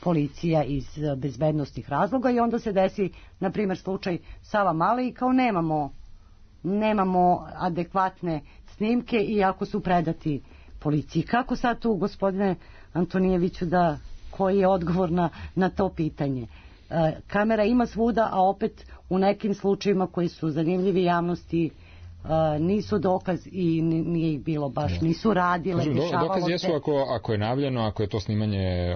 [SPEAKER 3] policija iz bezbednostnih razloga i onda se desi, na primjer, slučaj Savamale i kao nemamo adekvatne snimke iako su predati policiji. Kako sad tu, gospodine Antonijeviću, koji je odgovor na to pitanje? Kamera ima svuda, a opet u nekim slučajevima koji su zanimljivi javnosti nisu dokaz i nije ih bilo baš, nisu radile, dešavalo se.
[SPEAKER 7] Dokaz jesu ako je navljeno, ako je to snimanje,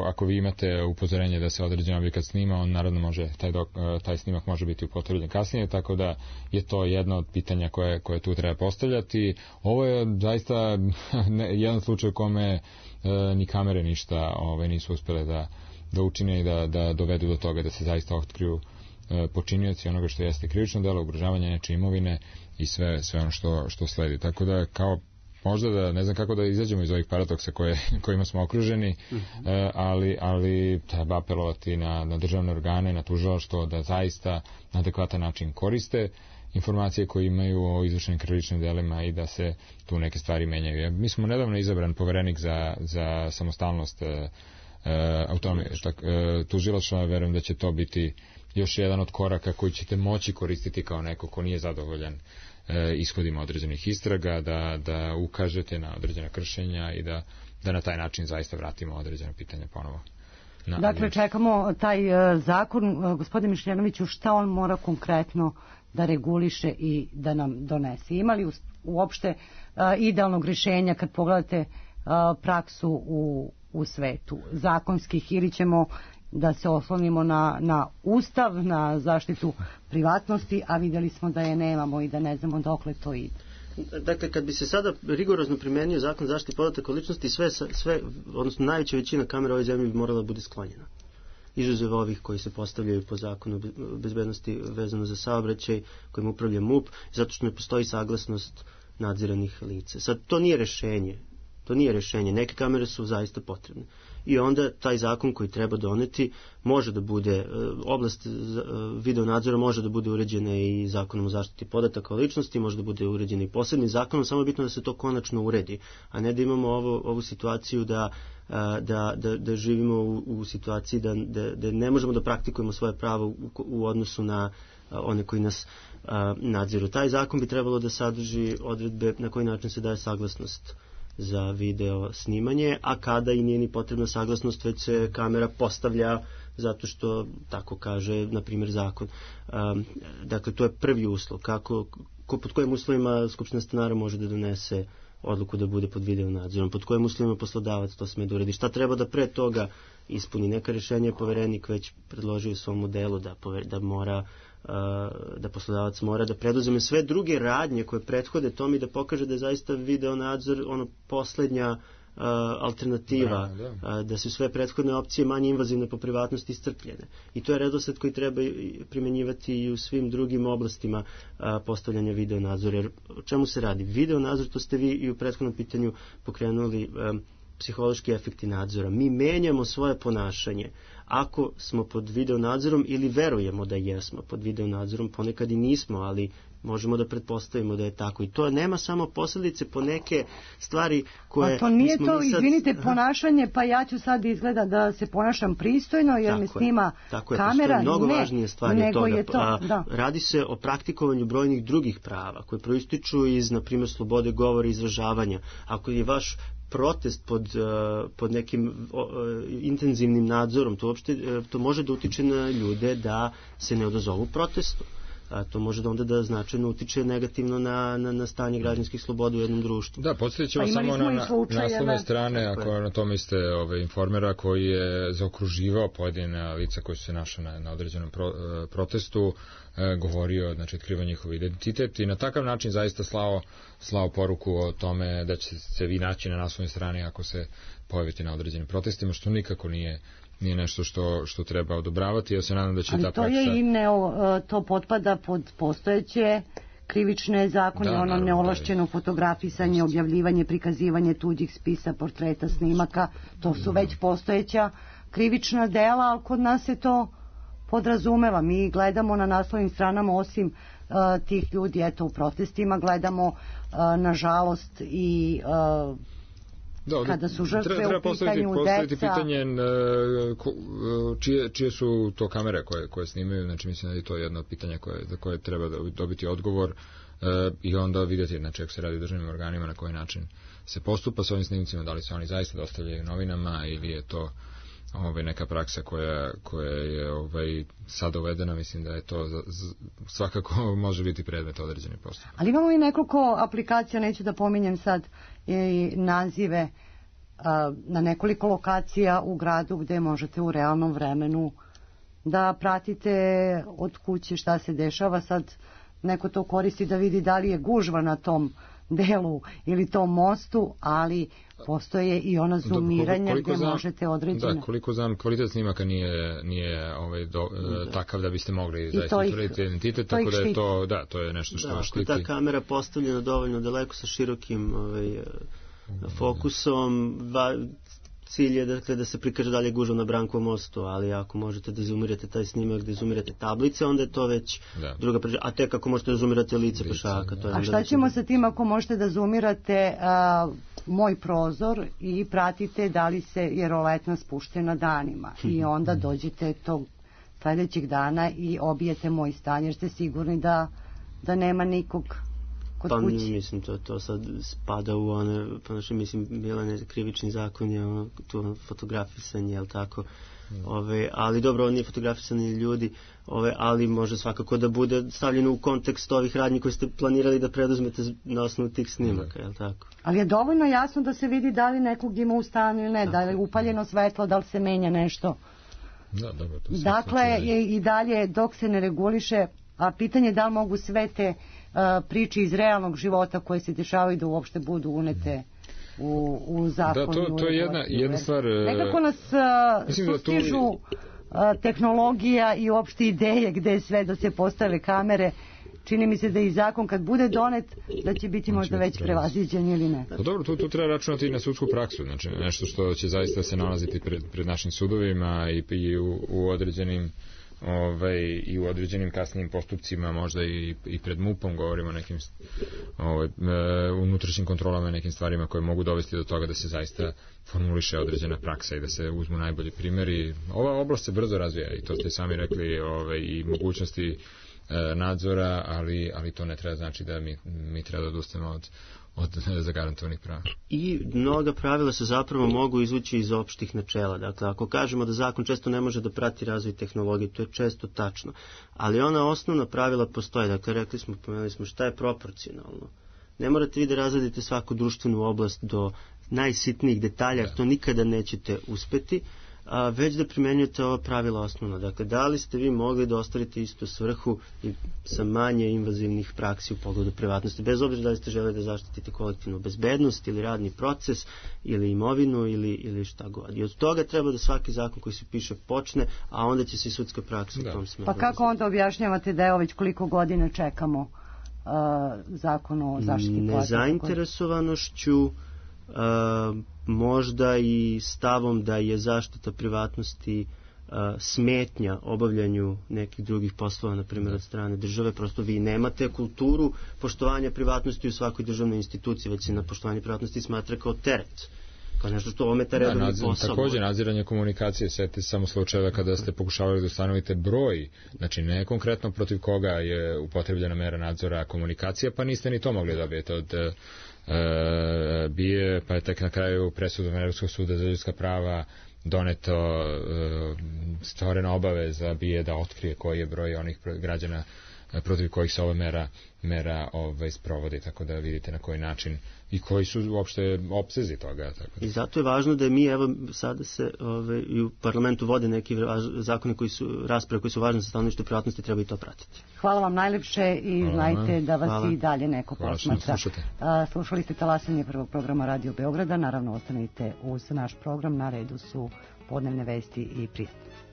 [SPEAKER 7] ako vi imate upozorenje da se određen objekat snima, on naravno može, taj snimak može biti upotrebljen kasnije, tako da je to jedno od pitanja koje tu treba postavljati. Ovo je zaista jedan slučaj u kome ni kamere ništa nisu uspjele da učine i da dovedu do toga da se zaista otkriju počinioci onoga što jeste krivično delo, ugrožavanje nečije imovine i sve ono što sledi. Tako da kao možda da ne znam kako da izađemo iz ovih paradoksa kojima smo okruženi, ali treba apelovati na državne organe, na tužilaštvo da zaista na adekvatan način koriste informacije koje imaju o izvršenim krivičnim delima i da se tu neke stvari menjaju. Mi smo nedavno izabran poverenik za samostalnost autonomije tužilaštva, verujem da će to biti još jedan od koraka koji ćete moći koristiti kao neko ko nije zadovoljan ishodima određenih istraga, da ukažete na određena kršenja i da na taj način zaista vratimo određena pitanja ponovo.
[SPEAKER 3] Dakle, čekamo taj zakon, gospodine Mišljanoviću, šta on mora konkretno da reguliše i da nam donese? Ima li uopšte idealnog rješenja kad pogledate praksu u svetu zakonskih, ili ćemo da se oslonimo na ustav, na zaštitu privatnosti, a vidjeli smo da je nemamo i da ne znamo dokle to ide.
[SPEAKER 6] Dakle, kad bi se sada rigorozno primenio zakon zaštite podataka o ličnosti, sve, odnosno najveća većina kamera u ovoj zemlji bi morala da bude sklonjena. Izuzev ovih koji se postavljaju po zakonu bezbednosti vezano za saobraćaj, kojim upravlja MUP, zato što ne postoji saglasnost nadziranih lica. Sad, to nije rešenje. Neke kamere su zaista potrebne. I onda taj zakon koji treba doneti može da bude, oblast video nadzora može da bude uređena i zakonom o zaštiti podataka o ličnosti, može da bude uređena i posebnim zakonom, samo je bitno da se to konačno uredi, a ne da imamo ovu situaciju da živimo u situaciji da ne možemo da praktikujemo svoje pravo u odnosu na one koji nas nadziru. Taj zakon bi trebalo da sadrži odredbe na koji način se daje saglasnost za video snimanje, a kada i nije ni potrebna saglasnost, već se kamera postavlja zato što tako kaže, na primjer, zakon. Dakle, to je prvi uslov. Pod kojim uslovima Skupština stanara može da donese odluku da bude pod video nadzorom, pod kojim uslovima poslodavac to sme da uredi. Šta treba da pre toga ispuni? Neka rješenja je poverenik već predložio u svom modelu da poslodavac mora da preduzme sve druge radnje koje prethode tome i da pokaže da je zaista video nadzor poslednja alternativa, da su sve prethodne opcije manje invazivne po privatnosti iscrpljene. I to je redosled koji treba primjenjivati i u svim drugim oblastima postavljanja video nadzora. Jer o čemu se radi? Video nadzor, to ste vi i u prethodnom pitanju pokrenuli, psihološki efekti nadzora. Mi menjamo svoje ponašanje ako smo pod video nadzorom ili verujemo da jesmo pod video nadzorom, ponekad i nismo, ali možemo da pretpostavimo da je tako. I to nema samo posljedice po neke stvari koje...
[SPEAKER 3] A to nije to, izvinite, ponašanje, pa ja ću sad izgleda da se ponašam pristojno jer me snima kamera.
[SPEAKER 6] Mnogo važnije stvari od toga.
[SPEAKER 3] Je to,
[SPEAKER 6] radi se o praktikovanju brojnih drugih prava koje proističu iz, na primjer, slobode govora i izražavanja. Ako je vaš protest pod nekim intenzivnim nadzorom, to može da utiče na ljude da se ne odazovu protestu. a to može da onda da značajno utiče negativno na stanje građanskih sloboda u jednom društvu.
[SPEAKER 7] Da, podsjetit ćemo samo na naslovne strane, ako na tome ste informera koji je zaokruživao pojedine lica koji su se našli na određenom protestu, govorio, znači otkriva njihov identitet i na takav način zaista slao poruku o tome da će se vi naći na naslovnoj strani ako se pojavite na određenim protestima, što nikako nije nešto što treba odobravati. Ja se nadam da će ta praksa...
[SPEAKER 3] Ali to potpada pod postojeće krivične zakone, neovlašćeno fotografisanje, objavljivanje, prikazivanje tuđih spisa, portreta, snimaka, to su već postojeća krivična dela, ali kod nas se to podrazumeva. Mi gledamo na naslovnim stranama, osim tih ljudi u protestima, gledamo nažalost i kada su žrtve u pitanju
[SPEAKER 7] postaviti
[SPEAKER 3] deca.
[SPEAKER 7] Pitanje čije su to kamere koje snimaju, znači mislim da je to jedno od pitanja za koje treba dobiti odgovor i onda vidjeti, znači ako se radi o državnim organima, na koji način se postupa s ovim snimcima, da li se oni zaista dostavljaju novinama ili je to neka praksa koja je sad uvedena. Mislim da je to svakako može biti predmet određenih postupaka.
[SPEAKER 3] Ali imamo i nekoliko aplikacija, neću da pominjem sad i nazive, na nekoliko lokacija u gradu gde možete u realnom vremenu da pratite od kuće šta se dešava. Sad neko to koristi da vidi da li je gužva na tom delu ili tom mostu, ali postoje i ona zoomiranja gdje možete određene...
[SPEAKER 7] Da, koliko znam, kvalitet snimaka nije takav da biste mogli zaista utvrditi identitet, tako da je to je nešto što štiti.
[SPEAKER 6] Ako ta kamera postavljena dovoljno daleko sa širokim fokusom, cilj je da se prikaže dalje gužva na Brankovom mostu, ali ako možete da zoomirate taj snimak, da zoomirate tablice, onda je to već druga priča. A tek ako možete da zoomirate lice pešaka.
[SPEAKER 3] A šta ćemo sa tim ako možete da zoomirate moj prozor i pratite da li je roletna spuštena danima i onda dođete tog sljedećeg dana i obijete moj stan jer ste sigurni da nema nikog kod kuće.
[SPEAKER 6] Pa mislim to sad spada u one, mislim bila krivični zakon je to fotografisanje, jel tako? Ali dobro, on nije fotografisani ljudi, ali može svakako da bude stavljeno u kontekst ovih radnji koje ste planirali da preduzmete na osnovu tih snimaka, jel tako?
[SPEAKER 3] Ali je dovoljno jasno da se vidi da li nekog ima u stanu ili ne, da li je upaljeno svetlo, da li se menja nešto.
[SPEAKER 7] Da, dobro, to
[SPEAKER 3] dakle, i dalje dok se ne reguliše, a pitanje je da li mogu sve te priče iz realnog života koje se dešavaju da uopšte budu unete u zakon.
[SPEAKER 7] Da, to je jedna stvar.
[SPEAKER 3] Nekako nas sustižu tehnologija i uopšte ideje gde sve da se postave kamere. Čini mi se da i zakon kad bude donet da će biti možda već prevaziđen ili ne.
[SPEAKER 7] Pa dobro, tu treba računati i na sudsku praksu, znači nešto što će zaista se nalaziti pred našim sudovima i u određenim i u određenim kasnijim postupcima, možda i pred MUP-om, govorimo o nekim unutrašnjim kontrolama i nekim stvarima koje mogu dovesti do toga da se zaista formuliše određena praksa i da se uzmu najbolji primjeri. Ova oblast se brzo razvija i to ste sami rekli, i mogućnosti nadzora, ali to ne treba znači da mi treba da odustemo od zagarantovanih prava.
[SPEAKER 6] I mnoga pravila se zapravo mogu izvući iz opštih načela. Dakle, ako kažemo da zakon često ne može da prati razvoj tehnologije, to je često tačno. Ali ona osnovna pravila postoje. Dakle, pomenuli smo šta je proporcionalno. Ne morate vi da razradite svaku društvenu oblast do najsitnijih detalja, jer to nikada nećete uspeti, već da primenjujete ova pravila osnovna. Dakle, da li ste vi mogli da ostvarite istu svrhu i sa manje invazivnih praksi u pogledu privatnosti, bez obzira da li ste želeli da zaštitite kolektivnu bezbednost ili radni proces ili imovinu ili šta god. I od toga treba da svaki zakon koji se piše počne, a onda će se i sudska praksa u tom smeru.
[SPEAKER 3] Pa kako onda objašnjavate da je već koliko godina čekamo zakon o zaštiti podataka?
[SPEAKER 6] Nezainteresovanošću, možda i stavom da je zaštita privatnosti smetnja obavljanju nekih drugih poslova, na primjer od strane države. Prosto vi nemate kulturu poštovanja privatnosti u svakoj državnoj instituciji, već se na poštovanje privatnosti smatra kao teret, kao nešto što ometa redovni posao.
[SPEAKER 7] Također nadziranje komunikacije, setite samo slučajeva kada ste pokušavali da ustanovite broj, znači ne konkretno protiv koga je upotrebljena mera nadzora komunikacija, pa niste ni to mogli dobijete od BIA, pa je tek na kraju presudom Evropskog suda za ljudska prava doneto stvorena obaveza BIA da otkrije koji je broj onih građana protiv kojih se ova mera sprovodi, tako da vidite na koji način i koji su uopšte opsezi toga. Tako da.
[SPEAKER 6] I zato je važno da mi, evo, sada se i u parlamentu vode neki zakoni rasprave koji su važni za stanovište privatnosti, treba i to pratiti.
[SPEAKER 3] Hvala vam najlepše i znajte da vas i dalje neko posmatra. Slušali ste talasanje prvog programa Radio Beograda, naravno ostanite uz naš program, na redu su podnevne vesti i prijatno.